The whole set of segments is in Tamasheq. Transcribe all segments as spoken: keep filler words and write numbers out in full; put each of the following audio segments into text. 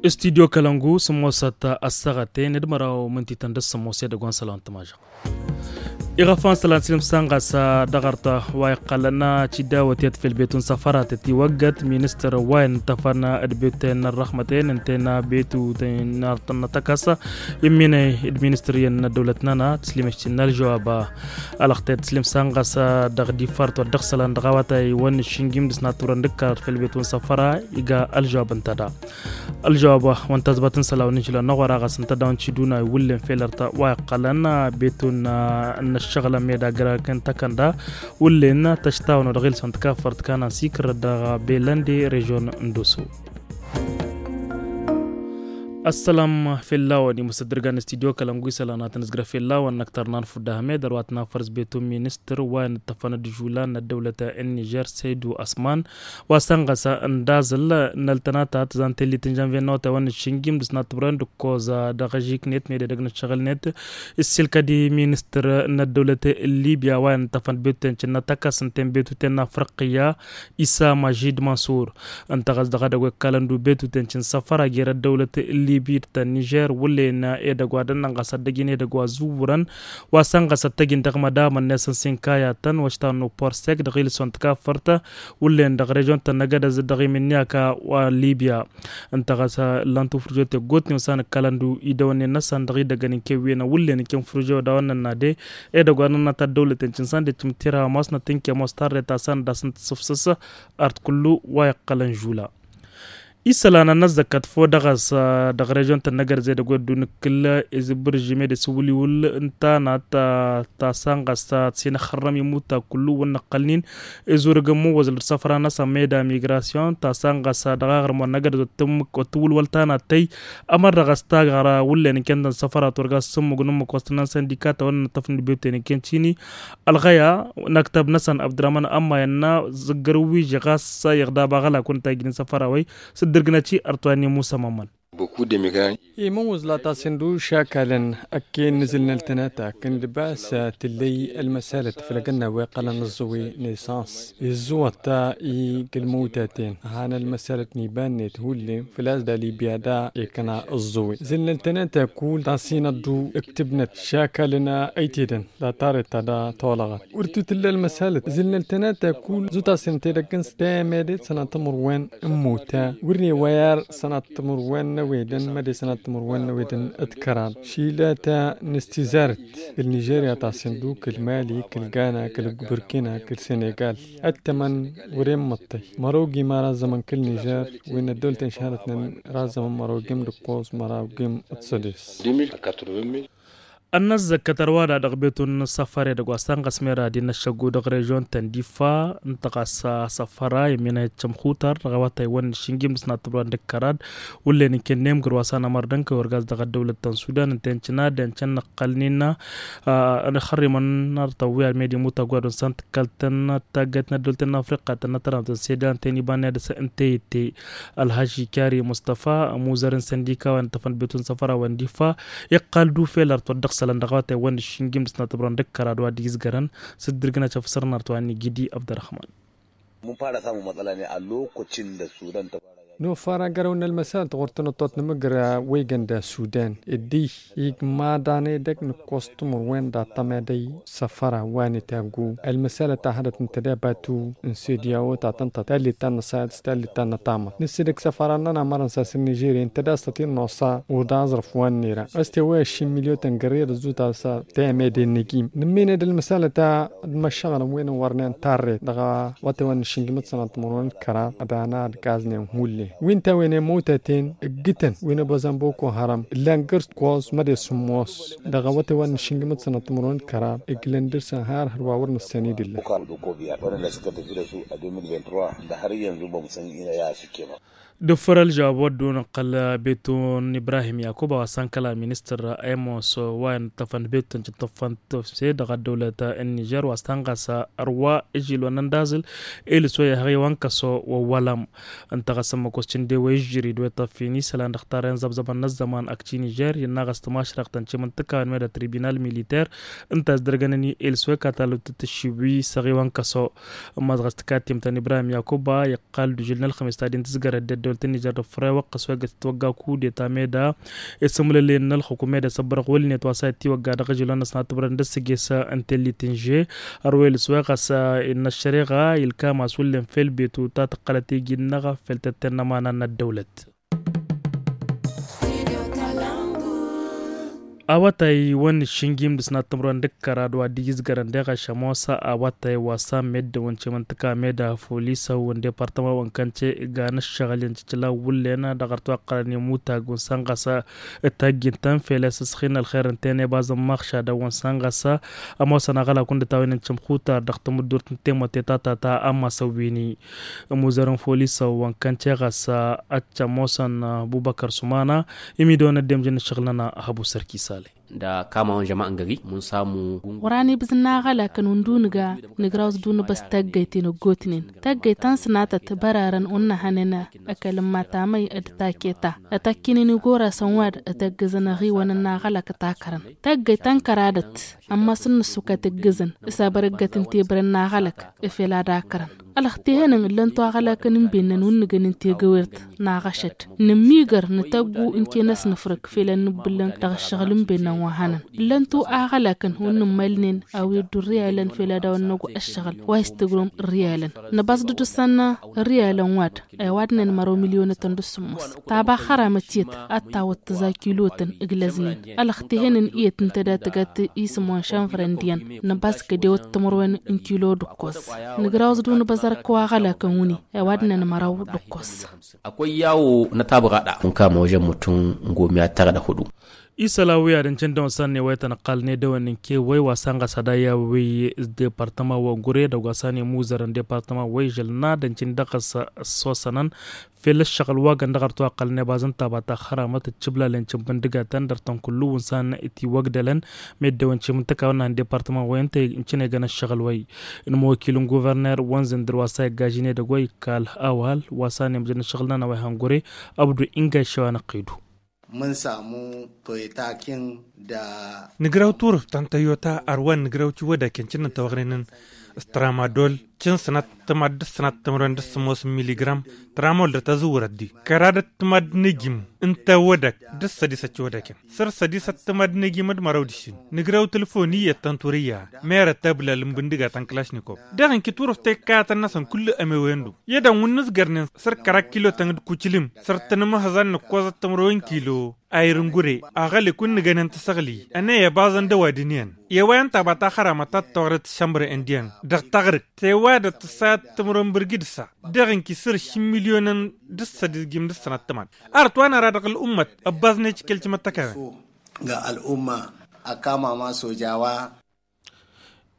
Studyo kălăngu sǝmmosăt ăssaɣăten d-măraw mǝntităn d-ăssămmos edăgg wa n-sălan tămažăɣ. Iɣăfan sălan sǝlǝm sanɣas dăɣ-arta wa iqqălăn cidawăt i-ad-fel betun săfăratăt iwăggăt ministăr wa inǝttăfăn d-betuten n-ărrăxmăten ǝnten betuten n-artăn n-atăkăs. Imminăy d-ministăr iyyăn n-ăddăwlăt-nănăɣ tǝslimăštin n-ălžăwab. Alăɣtet slim sanɣas dăɣ-difart wa dd-ăɣsălăn dăɣ-awătay wa n-išǝnjim dăɣ-s n-ad-tǝwrăn d-ǝkkărăt fel betun săfăra iga ălžăwab ǝnta da. Ălžăwab wa n-tazbăt n-isălan wa n-išlan n-aɣora ɣas ǝnta daw-n ciduna iwǝllen fel ărta wa iqqălăn betun n-ăššăɣǝlăn meda gărăk n-tăkănda wǝllen tăštawăn wa dăɣ-ilsăn tǝkafărt kanăn sikǝr dăɣ-belănde režion n-doso. Ăssălam fell-awăn imǝsăddărgan studyo kălăngu isălan ad-tăn-ǝzgrăf fell-awăn năktărnan fudda hămed ărwa tăn-afărs betun ministăr wa inǝttăfăn d-žulan n-ăddăwlăt n-nižer săydu ăsman wa sănɣăs n-dazǝl n-ăltănata tǝzan tellit n-žănve n-awătay wa n-išǝnjim dăɣ-s n-ad-tǝbrăyăn d-ǝkkoẓ dăɣ-ažiknet mede dăgg-nǝššăɣǝlnet. Ǝssilkăd i-ministăr n-ăddăwlăt n-libya wa inǝttăfăn d-betuten cǝnnăt ăkasǝnten betuten n-afriqya isa mažid mansur. Ǝnta ɣas dăɣ-edăgg wa ikkalăn dubetuten cǝn săfăra jer-ăddăwlăt n-libya d-ta n-nižer wǝllen edăgg wa dănnăn ɣas ad-dăj-in edăgg wa zǝwwărăn wa săn ɣas ad-tăj-in dăɣ-mădamăn-net n-sinkayatăn wa ǝštawăn n-uporsek dăɣ-ilǝsson tǝkaffărt wǝllen dăɣ-režion-tăn n-agădăz dăɣ-imǝnniyaka wa n-libya. Ǝnta ɣas ǝllan-t ufrǝjo teggootnen wa s-anǝkkalăn du idăwănnen-năsăn dăɣ-idăggăn n-kewwen wǝllen n-ken furǝjo dawăn-nănna de edăgg wa nănna ta ăddăwlăten cǝnsan de cǝmtera masnăt n-kemos tarret ta s-an d-asăn tǝssǝfsǝs. Art kullu wa iqqălăn žula isălan ad-năzzăkkăt făw dăɣ-s dăɣ-režion-tăn n-agărzed ăgg wa dd-unǝkkǝl izǝbbǝr žime d-isǝwǝliwǝl n-tanat ta s-an ɣas ta t-sinăxărrăm imuta kullu wǝnnăqqălnin izurǝg n-imǝwwăẓǝl d-săfra-năsăn meda migrasyon ta s-an ɣas dăɣ-aɣrǝm wa n-agărzed wa t-tǝwǝlwăl tanat tăy. Ămăra ɣas taɣra wǝllen n-kentăn săfra turga s-sǝmmug n-ǝmmǝk wa s-tǝnnan săndika ta wănnăn ăṭṭăfnǝd bebten n-kent šini. Ălɣăya n-aktăb-năsăn abdurrăman ămmayăn n-a zǝggăr wi žăɣas iɣdab aɣălak wăn tajjǝnen săfra wăy s-dd-ǝrgǝnăt i-ărtwănni musămămăn. Imǝwwǝẓla ta s-indu šakalăn ăkken n-azǝlnăl tănata kăn-dd-bas tǝllăy ălmăsalăt făll-agǝnna wa iqqălăn ǝẓẓǝwi n-esans iẓẓǝwăt ta i-gǝlmăwtaten han ălmăsalăt n-iba-net hullen făl-a-s da libya da ikna ǝẓẓǝwi zǝlnăl tănata kull ta s-inăḍḍu ǝktǝbnăt šakalăn ăytedăn da tarret ta da tolăɣăt wăr tutǝlla ălmăsalăt zǝlnăl tănata kull zutasǝnăt edăgg n-s temedet sănăt timǝrwen n-imota wăr ne wăyar sănăt timǝrwen n-ewedăn măde sănăt timǝrwen n-ewedăn d-kăraḍ šilata n-istizarăt kăl-nižerya ta s-indu kăl-mali kăl-gana kăl-burkina kăl-senegal. Ăttămăn wăr-e n-măṭṭăy mărogim ara ăzzămăn kăl-nižer wi n-ăddăwlăten šahadătnen ara ăzzămăn mărogim d-ǝkkoẓ mărogim d-sădes. Ănnăzzăkkăt ărwa da dăɣ-betun n-săfăre dăgg-wa s-tănɣăs mera d-innă ăššăggu dăɣ-režion-tăn d-ifa ǝnta ɣas asăfăra i-minăyăt cămxutăr dăɣ-awătay wăn n-išǝnjim dăɣ-s n-ad-tǝbran d-ǝkkărad wǝllen n-kennăyăm gǝrwa s-anămăr d-ǝnkăy wăr gazz dăɣ-ăddăwlăt ta n-sudan ǝnta i-n cǝnad i-n cǝnnăqqălnen. Ănxărrimăn n-artăwwi almedi mutagwadun s-an tǝkkăl-tăn taggăt n-ăddăwlăt n-afriqa tăn-nătăramtăn sedan tăn-ibanne dăɣ-s ǝnta i-itte. Ălhaži kari mustăfa ămuzăr n-săndika wa n-tăfăn betun săfăra wa n-difa iqqal dufel ărtwăt dăɣ-sălăn dăɣ-awătay wa n-išǝnjim dăɣ-s n-ad-tǝbran d-ǝkkărad wa d-izgărăn s-dd-ǝrgǝnăt afǝsăr n-artwa n-igidi abdărrăhman. Mǝnfara samu mătăla ne ăllookăcin d-ăssudan tăfara. Nofara gărăw n-ălmăsal tăɣurtăn ăṭṭot n-amǝgra wa iggăn d-ăssudan dd-iy igmaḍan edăgg nǝkkos timǝrwen d-aṭṭăm edăy săfăra wa n-itaggu ălmăsalăt ta hădăt n-tădabatu n-sediyawo ta tăn-tăt tallit ta n-năsayăt s-tallit ta n-nătamăt nǝssidăg săfăra n-nănamărăn s-asǝr nižerya ǝnta d-a-s tăt-in-nosa. Uḍa aẓrǝf wa n-nera ăstewăy ăššin milyotăn gărriyăt ăzzuta s-temede n-egim nǝmmined ălmăsalăt ta d-măššăɣǝlăn wi n-wărnen tarret dăɣ-awătay wa n-išǝnjǝmăt sănat timǝrwen d-kăraḍ ad-ana ad-gaznen hullen wi n-tawăynen măwtaten ǝggǝtăn wi n-ăbozăn boko haram ǝllan găr-s ǝkkoẓ măde sǝmmos dăɣ-awătay wa n-išǝnjǝmăt sănat timǝrwen d-kăraḍ ǝglăn dăr-săn har hărwa wăr nǝssăn idǝllăn. Wăr-năskăt ǝjrăsu ad-emil vingt-trois d-har iyyăn zubăm săn inăya s-ǝkkemăɣ. D-ǝffărăl žăwab wăr dd-unǝqqăl betu n-ibrahim yakuba wa s-tankăla ministăr emos wa inǝttăfăn d-betu tăn-cǝttăffăn tăfse dăɣ-ăddăwlăt n-nižer wa s-tanɣas ărwa ižilwăn n-dazǝl. Ilǝs wa ihăɣ iwăn kăso wăwwălăm ǝnta ɣas ămmăkos cǝnde wa ižjări d-wa ităffin isălan dăɣ-tarrăyăn zăbzăbăn n-ăzzăman ăkci nižer innă ɣas tămašrăɣt tăn-cimǝntǝkawăn meda tribinal militer ǝnta a-s dăr-gănăn ilǝs wa ikatalăw tǝtǝššiwi s-ăɣiwăn kăso. Ămmas ɣas tǝkattimt n-ibrahim yakuba iqqal d-užǝl n-ălxămis ta d-intǝzgărăt d-ăddăwlăt n-nižer d-ăffărăy wăqqăs wa igăt tǝtwăgga kudeta meda isǝmlǝlin n-ălxukum meda isăbbărăɣ wălnet wa s-a ittiwăgga dăɣ-ižǝlon-năsnat tǝbrăn d-ăssǝges n-tellit n-že. Ărwel s-wa ɣas innă ăššăreɣa ilkam a-s wǝllen fel betu ta tǝqqălăt iji-năɣ fel tătten n-ămana n-ăddăwlăt. Awătay wa n-iššǝnjim dăɣ-s n-ad-tǝmrăwăn d-ǝkkărad wa dd-ijǝzgărăn deɣ ašămosa awătay wa s-a meddǝwăn cimǝntǝka meda folisăw n-departăma wa n-kănce igan ǝššăɣǝl i-ăncǝcǝlaw wǝllen dăɣ-ărtwaqqălăn i-mutag wa n-săn ɣas tajjǝntăn fel i-asǝsxin ălxer ǝnta i-nebaz n-maɣšadăn wa n-săn ɣas ămoosăn aɣălak wǝndǝt a-wen n-cǝmxutar dăɣ-tamǝddurt n-temătte ta tata a masăwwini. Ămuzăr n-folisăw wa n-kănce ɣas ăccăm osăn bubăkăr sumana. Imidăwăn ăddemjăn n-ǝššăɣǝl-nănăɣ hăbu sărki sale. Dăɣ-kamawăn žăma n-gări mǝnsamu. Wăr-anibǝzna aɣălakăn wǝndǝw nǝga nǝgraw s-dăw-nǝbăs taggăyten ăggootnen taggăyt ta n-sănatăt bărarăn wăr nǝhănen ăkall n-matamăy d-taketa. Ătakkinen igorasăn wa d-tăggǝzăn ăɣiwăn n-aɣălak takărăn taggăyt ta n-kăradăt. Ămmas n-nǝssukat ǝggǝzăn s-abărăggăt n-tebrăn n-aɣălăk. Efel ad-akrăn ălxăt ihănăn ǝllăn-tu aɣălakăn n-bennăn wǝnnǝgăn n-tegăwert n-aɣăšăd nǝmmigăr nǝtăggu n-tenăs nǝfrǝk fel ad-nǝbbǝllăn dăɣ-ǝššăɣǝl n-bennăn wa hănăn. Ǝllăn-tu aɣălakăn wǝnnǝmmalnen a-wi ăddu ărriyalăn fel ad-dăɣ-wănnăgu ǝššăɣǝl wa istǝgrǝwăm ărriyalăn năbas d-dd-ǝssanna ărriyalăn wa d-ăwadnen măraw milyonătăn d-sǝmmos. Taba xăramăt iyyăt ad-tawăt tǝẓa kilotăn ǝglăznen ălxăt ihănăn iyyăt ǝnta da tǝgăt isǝmon šănfrăn d-iyyăn. Năbas kădewăt timǝrwen n-kilo d-ǝkkoẓ. Nǝgraw s-dd-unǝbăẓăr kăwa aɣălakăn wǝni ăwadnen măraw d-ǝkkoẓ. Akwăyyawo n-atabăɣaḍa. Unka măwăžăn mutǝn n-gomiya tăɣ-dăɣ hudu. Isălan wi ad-ǝncǝn dăɣ-wăn s-ad-newăyătăn ăqqalăn edăwăn n-kewăy wa s-anɣas ad-ayyaw wi s-departăma wa n-gure dăɣ-wa s-an imuzărăn departăma wa ižălna d-ǝncǝn dăɣ-s ăssosănăn. Fel ǝššăɣǝl wa găn dăɣ-ărtu aqqălăn i-baẓăn taba ta xăramăt d-cǝblalen cǝnbǝndǝgatăn dăr-tăn kullu wa n-san itiwăgdălăn. Meddewăn cimǝntăka wa n-departăma wa ǝnta ǝncǝn egăn ǝššăɣǝl wa n-imwăkil n-guvărner wa n-zǝndǝr wa s-a iggažin edăgg wa ikkal awal wa s-a nemjăn ǝššăɣǝl n-anăway hangure. Abdu inga iššăwa n-ăqqidu. Mǝnsamu toytakin da. Nǝgraw turǝft ta n-tăyyota ărwa n-nǝgraw tiwădaken cǝnnăn tawăɣren n-s tramadol cǝn sănat tămad d-sănat tămrăwen d-sămos n-miligram. Tramol d-tăzǝwrăt di kăradăt tămad n-ejim n-tawădak d-sădisăt tiwădaken. Săr-sădisăt tămad n-ejim d-măraw d-išin. Nǝgraw tǝlfon iyyăt ta n-turǝyya merăt ăblal n-bǝndǝga ta n-kălašnikov. Dăɣ-inki turǝft ta ikkayătăn-năsăn kull-ămewăyăn-du. I-ad-ănwǝnnǝzgărnen săr-kăraḍ kilo-tăn d-kucǝlǝm săr-tăn ămăhăẓan n-ǝkkoẓăt tămrăwen kilo. Ayǝr n-gure aɣălek wǝnnǝgănen tăsăɣli ănay ăbaẓăn d-ăwadǝn iyyăn. I-ăwayăn taba ta xăramăt ta t-tăwăɣrăt s-šămbrăyăn d-iyyăn dăɣ-taɣrǝkt tewădăt tǝssayăt timǝrwen bǝrgǝd-sa. Dăɣ-inki săr-šin milyonăn d-ǝssădizgim d-ǝssănat tămad. Arăt wa năra dăɣ-ăl'ummăt ăbbaẓnet i-kăl-timăttăkawăn. Ga ăl'umma ăkamama sojawa.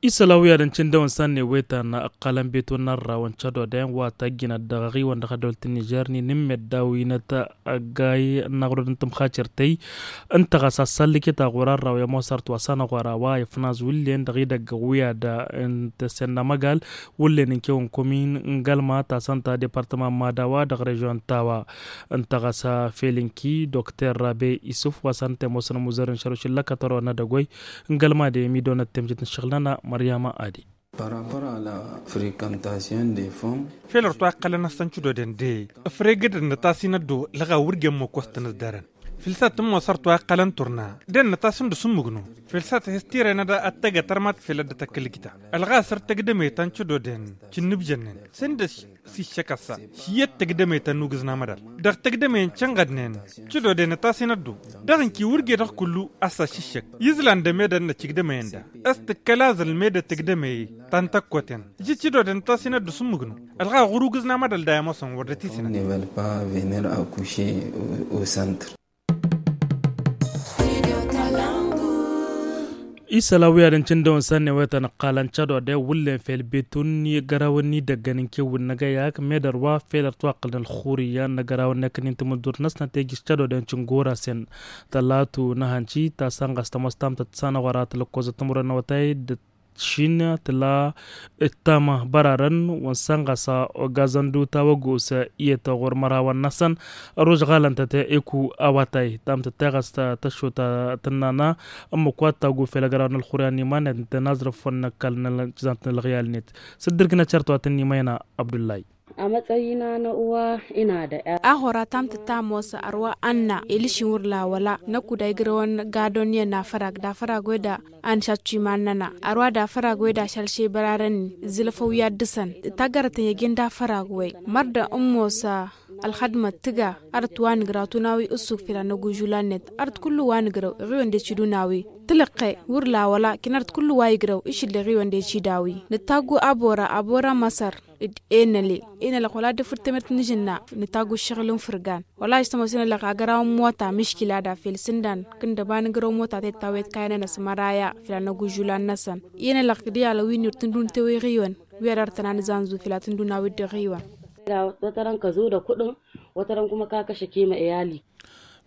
Isălan wi ad-ǝncǝn dăɣ-wăn s-ad-newăyăt anna ăqqalăn beton n-arrawăn cădodăyăn wa tăjjǝnăt dăɣ-aɣiwăn dăɣ-ăddăwlăt n-nižer n-inǝmmeddaw inăt ăggay n-aɣrud n-tǝmxacărtăy. Ǝnta ɣas assăllǝket aɣur arraw i-ămoosărt wa s-anăɣora wa ifnaz wǝllen dăɣ-idăgg wi ad-ǝntăsen n-amăgal wǝllen n-kewăn komin n-gălma tasăn ta departăma n-madawa dăɣ-režion n-tawa. Ǝnta ɣas fel inki dokter rabe isǝf wa s-anăt-ămoosăn ămuzăr n-šăruš n-lăkătăro n-edăgg wa n-gălma de imidonăt temjet n-ašăɣǝl-nănăɣ măryama adi. Fel ărtu a iqqălăn a-s tăn-cǝdoden de ăfregădăd n-ătasinăt d-o ǝlɣa wăr jen măkkost n-ăzdarăn. Fǝlsat n-mosăr tu a iqqălăn turna d-ănnătas n-dăr-s ǝmmǝgnu. Fǝlsat hes tirenăd ad-tăgg-ătărmat fel ad-dd-tăkk ǝlgǝta ălɣa săr tăgdăme ta n-cǝdoden cǝnnǝbjănnen s-ǝndăs s-iššăk ăssa. Ši iyyăt tăgdăme ta n-ugǝznam ădal dăɣ-tăgdăme n-cănɣădnen. Cǝdoden ătasinăt d-o dăɣ-inki wăr jedăɣ kullu ăssa s-iššăk. Izlan d-emedăn n-ăcigdăme-en-da s-tǝkkăl aẓǝl med-ătǝgdăme ta n-tăkkoten. Iji cǝdoden ătasinăt d-osǝmmǝgnu ălɣa ɣur-ugǝznam ădal da i-ămoosăn wăr dd-ătisǝnăn. Isălan wi ad-ǝncǝndăwăn s-ad-newăyăt anăqqal ăncădodăy wǝllen fel betun i-gărawăn n-idăggăn n-kewǝn n-agăyak med ărwa fel ărtwaqqǝlăn ălxurǝyya n-agărawăn n-ekănnin timǝddurt-năsnăt ejǝs cădodăy n-cǝngora-sen. Tălatu n-ahănci ta sănɣas tămoos tamtăt s-anăɣora tălăkkozăt timǝrwen n-awătay d-ăššin tǝla ǝttam bărarăn wa n-sănɣas ogazăn d-utawăgos iyyăt ɣur-mărawăn-năsăn. Ăružɣalăn-tăt eku awătay tamtăt teɣăst tăššut tǝnnană ǝmmǝk wa t-taggu fel agăraw n-ălxuryan n-iman-net ǝntăn azrǝf wa n-ăkall n-ălɣiyal-net. S-dd-ǝrgǝnăt šărtwat n-imayna abdullay. Amătsăyina n-uwa ina d-a. Aɣora tamtăt tamosa ărwa anna elǝšin wăr la wăla năkk uday gărăwăn gadon i-ănn afărag d-afărag weda. Anšattu iman-năna ărwa d-afărag weda šalše bărarăn. Zǝlăfăw i-ad-dăsăn tagărătăn i-ăgg-en d-afărag wăy mărdăn ǝmmosa. Ălxădmăt tǝga ărăt wa nǝgrăw tunawi ǝssuk fila n-ăgg-užulan-net ărăt kullu wa nǝgrăw iɣiwăn d-ecid unawi. Tǝlǝqqe wăr la wăla kinărăt kullu wa igrăw išǝll iɣiwăn d-ecid a-wi. Nǝttaggu abora abora măsăr d-enăle enălăɣ wăla d-efǝr temert n-ažǝnna. Nǝttaggu ǝššăɣǝl n-fǝrgan wăla ăštămăwăs enălăɣ agăraw n-mota miškila da fel sǝndan kǝndăba nǝgrăw mota tettawet kayăn-nănăs măraya fila n-ăgg-užulan-năsăn. Enălăɣ d-iyyălăn wi n-irtǝndun tewe iɣiwăn wi ad-ărtăn anǝzanzu fila tǝndun a-wi dd-iɣiwăn. Wătărăn kăzudăk kuḍăn wătărăn kuma kakăšăk i-mă'eyali.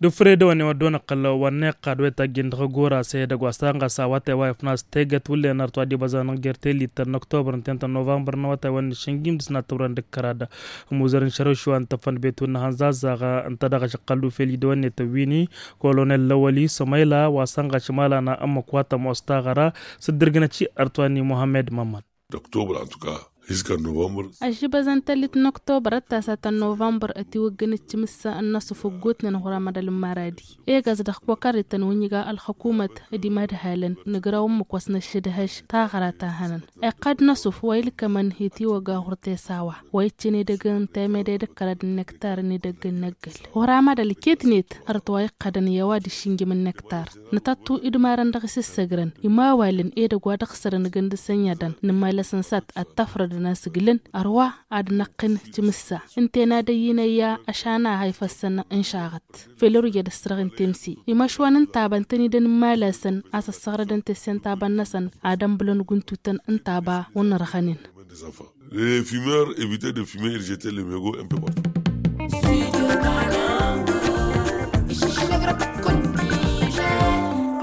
D-ufre dăwănne wăddoon ăqqăl wa n-iqqad wa ităjjin dăɣ-agora s-edăgg wa s-tanɣas awătay wa ifnas tegăt wǝllen ărtwa d-ibăzanăɣ jer-tellit n-oktobăr ǝnta i-n tăn-novămbăr n-awătay wa n-išǝngim dăɣ-s n-ad-tăwrăn d-ǝkkăra d-imuzăr n-šărăšwa n-tăfăn betu n-ahănzazzaɣ. Ǝnta dăɣ-ašăqqăl d-ufel idăwănne tăwwini kolonel lăwăli sămăyla wa sănɣaš imalana ǝmmǝk wa tămoos taɣăra. S-dd-ǝrgǝnăt i-ărtwa n-muhammed mămmăn. Dăɣ-oktobăr ăntuka hiskan novămbăr. Ažibăzăn tăllit n-oktobăr ăttasat n-novămbăr ătiwăggăn d-timǝssa n-inăsuf ăggootnen ɣur-amădal n-maradi. Egaz dăɣ-kokarrităn wi n-iga ălxăkumăt d-imadhalăn nǝgraw ǝmmǝk wa s-năššǝdhăš taɣăra ta hănăn. Iqqad n-asuf wa ilkămăn itiwăgga ɣur-tesawa wa iccăn edăgg n-temede d-ǝkkărad n-nektar n-edăgg n-năggăl. Ɣur-amădal iket-net ărăt wa iqqădăn i-a-wa d-išǝnjǝm n-nektar. Nǝtăttu idmarăn dăɣ-isǝssăgrăn imawalăn edăgg wa dăɣ-sărăn gǝnd-săn i-adăn nǝmmalăsăn s-ad-tafrădăn asǝglǝn. Ărwa ad-năqqǝn timǝssa ǝnta i-nadăyyin ăyya ăšana ha ifăssăn n-išaɣăt. Fel ărujăd ăssărăɣ n-temse imăšwan ǝnta a bantăn-i-dăn n-imalasăn a s-ăssăɣrădăn tessent aba-năsăn ad-ănbǝlăn guntutăn ǝnta aba wănnărɣănen. Les fumeurs éviter de fumer, jeter les megots un peu partout.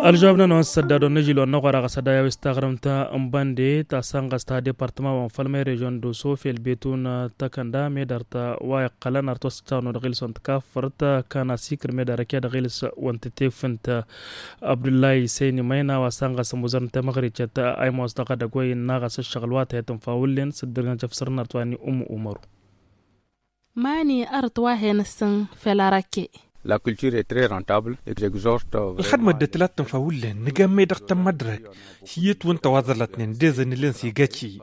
Ălžăwab-nănăwăn s-sădda dăɣ-nǝžil wa n-năɣora ɣas ad-ayaw s-taɣrǝmt n-bande ta sănɣăs ta departăma wa n-fălmăy režion d-oso fel betun tăkănda medărt wa iqqălăn ar tosăt căwăn dăɣ-ilǝs wa n-tăkafărt kăna sikǝr medăr ăke dăɣ-ilǝs wa n-tătefǝnt. Abdullahi săyni măyna wa sănɣăs ămuzăr n-temăɣricăt a imoos dăɣ-edăgg wa innă ɣas ǝššăɣǝl wa tăhet n-fawǝllen s-dd-ǝrgǝnăt efsăr n-arăt wa n-ummu umaru. Mani ărăt wa hen-ǝssǝn fel arăkke. La culture e très rentable exorte. Ălxădmăt d-ătlat tǝnfa wǝllen nǝgamme dăɣ-tămmădrăk. Šǝyyăt wǝnta wa ẓălătnen d-ezăn ǝllen s-igacci.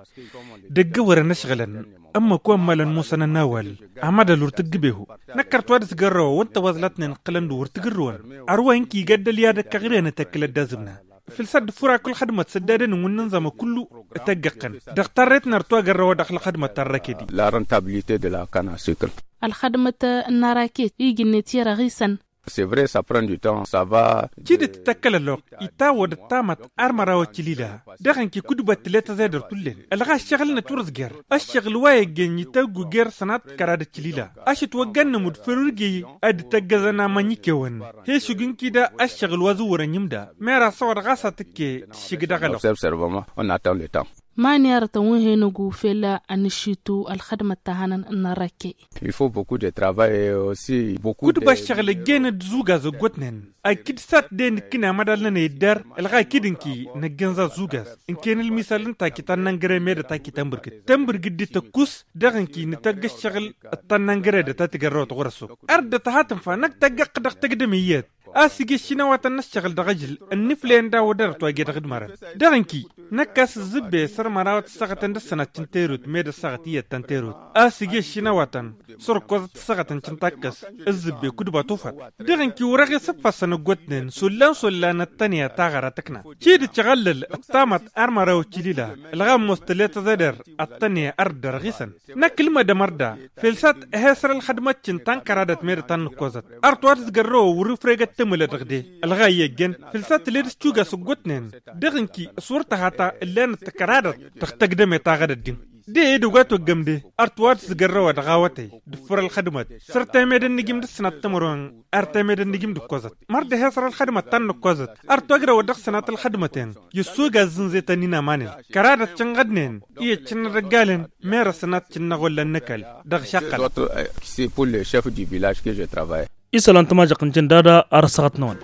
Dăgg-ewărăn ăšɣǝlăn ǝmmǝk wa ǝmmalăn musăn ănawăl. Amădăl wăr tǝggǝbehu. Năkkărt wa dăɣ-s gărrăwăn wǝnta wa ẓălătnen ǝqqǝlăn-dd wăr tǝgǝrrǝwăn. Ărwa ǝnki igăddăl i-ad-ăkkăɣ ren ătăkkǝl ăddazǝmna. Fǝlsăt d-furak ǝlxădmăt s-ăddadăn n-wǝnnǝnẓamă kullu. Tăggăqqăn dăɣ-tarret n-ărtwagărrăwă dăɣ-ălxădmăt ta n-răked. La rentabilite de la canne à sucre. Ălxădmăt n-araked iji-net i-răɣisăn. C'est vrai, ça prend du temps, ça va. Cidǝt tăkkăl ălloɣ itawăd ăttamăt. Ar măraw ăccǝlila dăɣ-ǝnki kudbăt tǝlet ăzedăr tullen ălɣa ăššăɣǝl-năt wăr-ǝzjăr. Ăššăɣǝl wa iggăny ităggu jer-sănat kăra d-ăccǝlila. Ašăt wăggan n-amud făll-wăr-iji ad-dd-tăggăzăn amăny ikewăn. He-šug ǝnki da ăššăɣǝl wa zǝwwărăn imda. Mera săwăḍ ɣas atǝkke tǝššǝg dăɣ-ălɣ. Observe servement, on attend le temps. Mani arătăn wi hen-ăggu fel ănǝššitu ălxădmăt ta hănăn n-arăkke. Il faut beaucoup de travail aussi beaucoup. Kudba ăššăɣǝl ăjjeen d-zugaz ăggootnen. Akǝd s-ad-t-de-nǝkkǝn amădal-nănăy dd-ar ălɣa akǝd ǝnki năgg'-en za zugaz. Ǝnken ălmisal n-taki ta n-năngăre med ătaki tănbǝrgǝd tănbǝrgǝd d-tăkkus. Dăɣ-ǝnki nǝtăgg ăššăɣǝl d-ta n-năngăre d-ta tǝgărrăwăt ɣur-ăssob. Ar dd-tăhatǝnfa năkk tăggăɣ-t dăɣ-tăgdăm iyyăt. A-s ige ăššinawatăn n-ăššăɣǝl dăɣ-ažǝl ănniflăyăn d-a-wa dăr-ătwage dăɣ-dd-mărăn. Dăɣ-ǝnki năkk a-s ǝzzǝbbe săr-mărawăt ăssaɣătăn d-ăssănat cǝnta erut med ăssaɣăt iyyăt ta n-terut. A-s ige ăššinawatăn săr-ǝkkoẓăt ăssaɣătăn cǝnta ǝkkăs. Ǝzzǝbbe kudba tufat. Dăɣ-ǝnki wăr-eɣ isǝffăssăn ăggootnen s-ollan s-ollan ăttănăya taɣăra tǝkna. Cidǝt šăɣăllăl ǝttamăt ar măraw ăccǝlila. Ălɣammos tǝlet ăzăder ăttănăya ar dd-ărɣisăn. Năkk ǝlmădăm ărda fel s-ad-t-he-săr ălxădmăt-tăn ta n-kăradăt meddǝt ta n-nǝkkoẓăt. Ărtwat s-gărrăwăn wăr-ifregăt. tămălădăɣ de ălɣay i-ăjjăn făl s-ad-tǝled s-cuga s-ǝggotnen. Dăɣ-ǝnki s-wăr tăhata ǝllenăt tăkăradăt dăɣ-tăgdăme taɣădăt din. De edăgg wa t-oggăm de ar tǝwad s-gărrăwăt dăɣ-awătăy d-ǝffǝr ălxădmăt. Săr temedăn n-ijim d-ǝssănat timǝrwen ar temedăn n-ijim d-ǝkkoẓăt. Măr d-ehesăr ălxădmăt ta n-nǝkkoẓăt ar togdăwăt dăɣ-sănat ălxădmăten. I-ăssugaz zǝnzetăn-in ămanen kăradăt cǝnɣădnen i-ăccǝnnăt ăggalăn. Merăsăn ad-cǝnnăɣ wălla n-ăkall dăɣ-išaqqălăn. Isălan tămajăɣt n-cǝndad ar ăssaɣăt-năwăn.